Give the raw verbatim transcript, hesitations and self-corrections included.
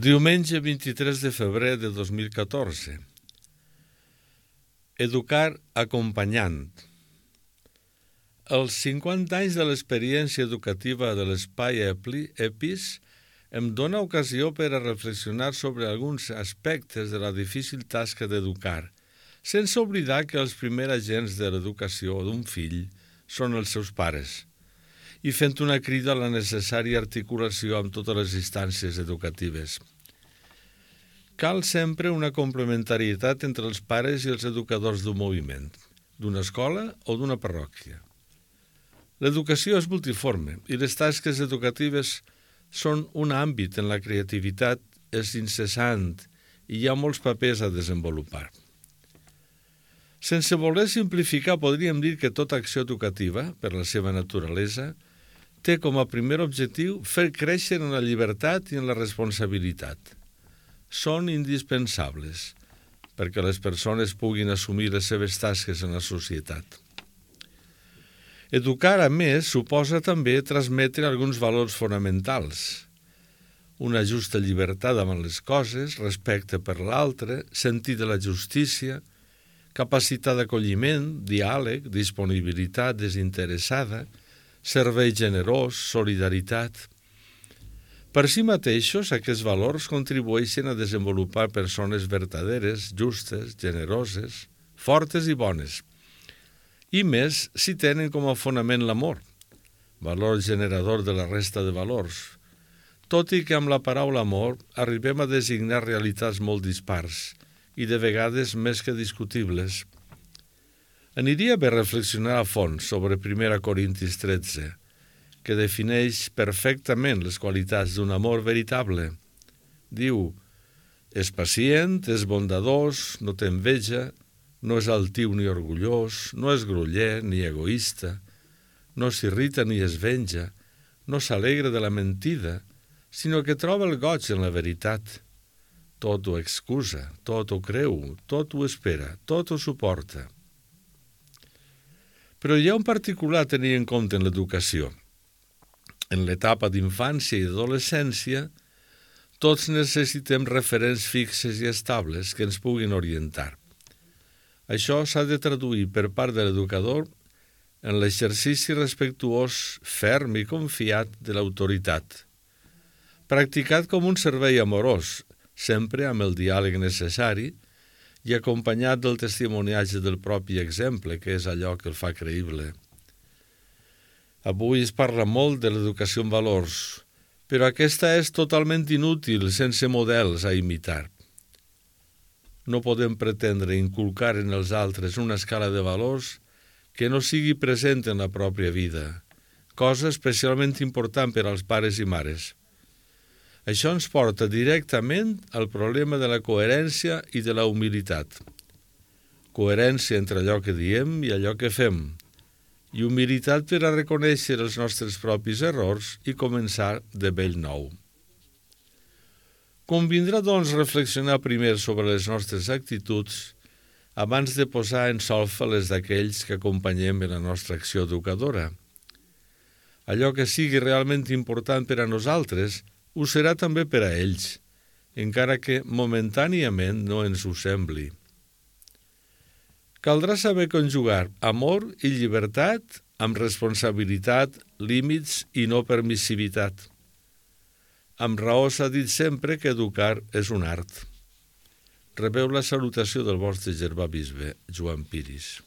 Diumenge vint-i-tres de febrer de dos mil catorze. Educar acompanyant. Els cinquanta anys de l'experiència educativa de l'Espai EPIS em dóna ocasió per a reflexionar sobre alguns aspectes de la difícil tasca d'educar, sense oblidar que els primers agents de l'educació d'un fill són els seus pares, i fent una crida a la necessària articulació amb totes les instàncies educatives. Cal sempre una complementarietat entre els pares i els educadors d'un moviment, d'una escola o d'una parròquia. L'educació és multiforme i les tasques educatives són un àmbit en la creativitat, és incessant i hi ha molts papers a desenvolupar. Sense voler simplificar, podríem dir que tota acció educativa, per la seva naturalesa, té com a primer objectiu fer créixer en la llibertat i en la responsabilitat. Són indispensables perquè les persones puguin assumir les seves tasques en la societat. Educar, a més, suposa també transmetre alguns valors fonamentals. Una justa llibertat davant les coses, respecte per l'altre, sentit de la justícia, capacitat d'acolliment, diàleg, disponibilitat desinteressada, servei generós, solidaritat. Per si mateixos, aquests valors contribueixen a desenvolupar persones verdaderes, justes, generoses, fortes i bones. I més si tenen com a fonament l'amor, valor generador de la resta de valors, tot i que amb la paraula amor arribem a designar realitats molt dispars i de vegades més que discutibles. Aniria bé reflexionar a fons sobre primera Corintis tretze, que defineix perfectament les qualitats d'un amor veritable. Diu, és pacient, és bondadós, no té enveja, no és altiu ni orgullós, no és groller ni egoista, no s'irrita ni es venja, no s'alegra de la mentida, sinó que troba el goig en la veritat. Tot ho excusa, tot ho creu, tot ho espera, tot ho suporta. Però hi ha un particular a tenir en compte en l'educació. En l'etapa d'infància i d'adolescència, tots necessitem referents fixes i estables que ens puguin orientar. Això s'ha de traduir per part de l'educador en l'exercici respectuós, ferm i confiat de l'autoritat, practicat com un servei amorós, sempre amb el diàleg necessari i acompanyat del testimoniatge del propi exemple, que és allò que el fa creïble. Avui es parla molt de l'educació en valors, però aquesta és totalment inútil sense models a imitar. No podem pretendre inculcar en els altres una escala de valors que no sigui present en la pròpia vida, cosa especialment important per als pares i mares. Això ens porta directament al problema de la coherència i de la humilitat. Coherència entre allò que diem i allò que fem, i humilitat per a reconèixer els nostres propis errors i començar de bell nou. Convindrà, doncs, reflexionar primer sobre les nostres actituds abans de posar en solfa les d'aquells que acompanyem en la nostra acció educadora. Allò que sigui realment important per a nosaltres ho serà també per a ells, encara que momentàniament no ens ho sembli. Caldrà saber conjugar amor i llibertat amb responsabilitat, límits i no permissivitat. Amb raó s'ha dit sempre que educar és un art. Rebeu la salutació del vostre germà bisbe, Joan Piris.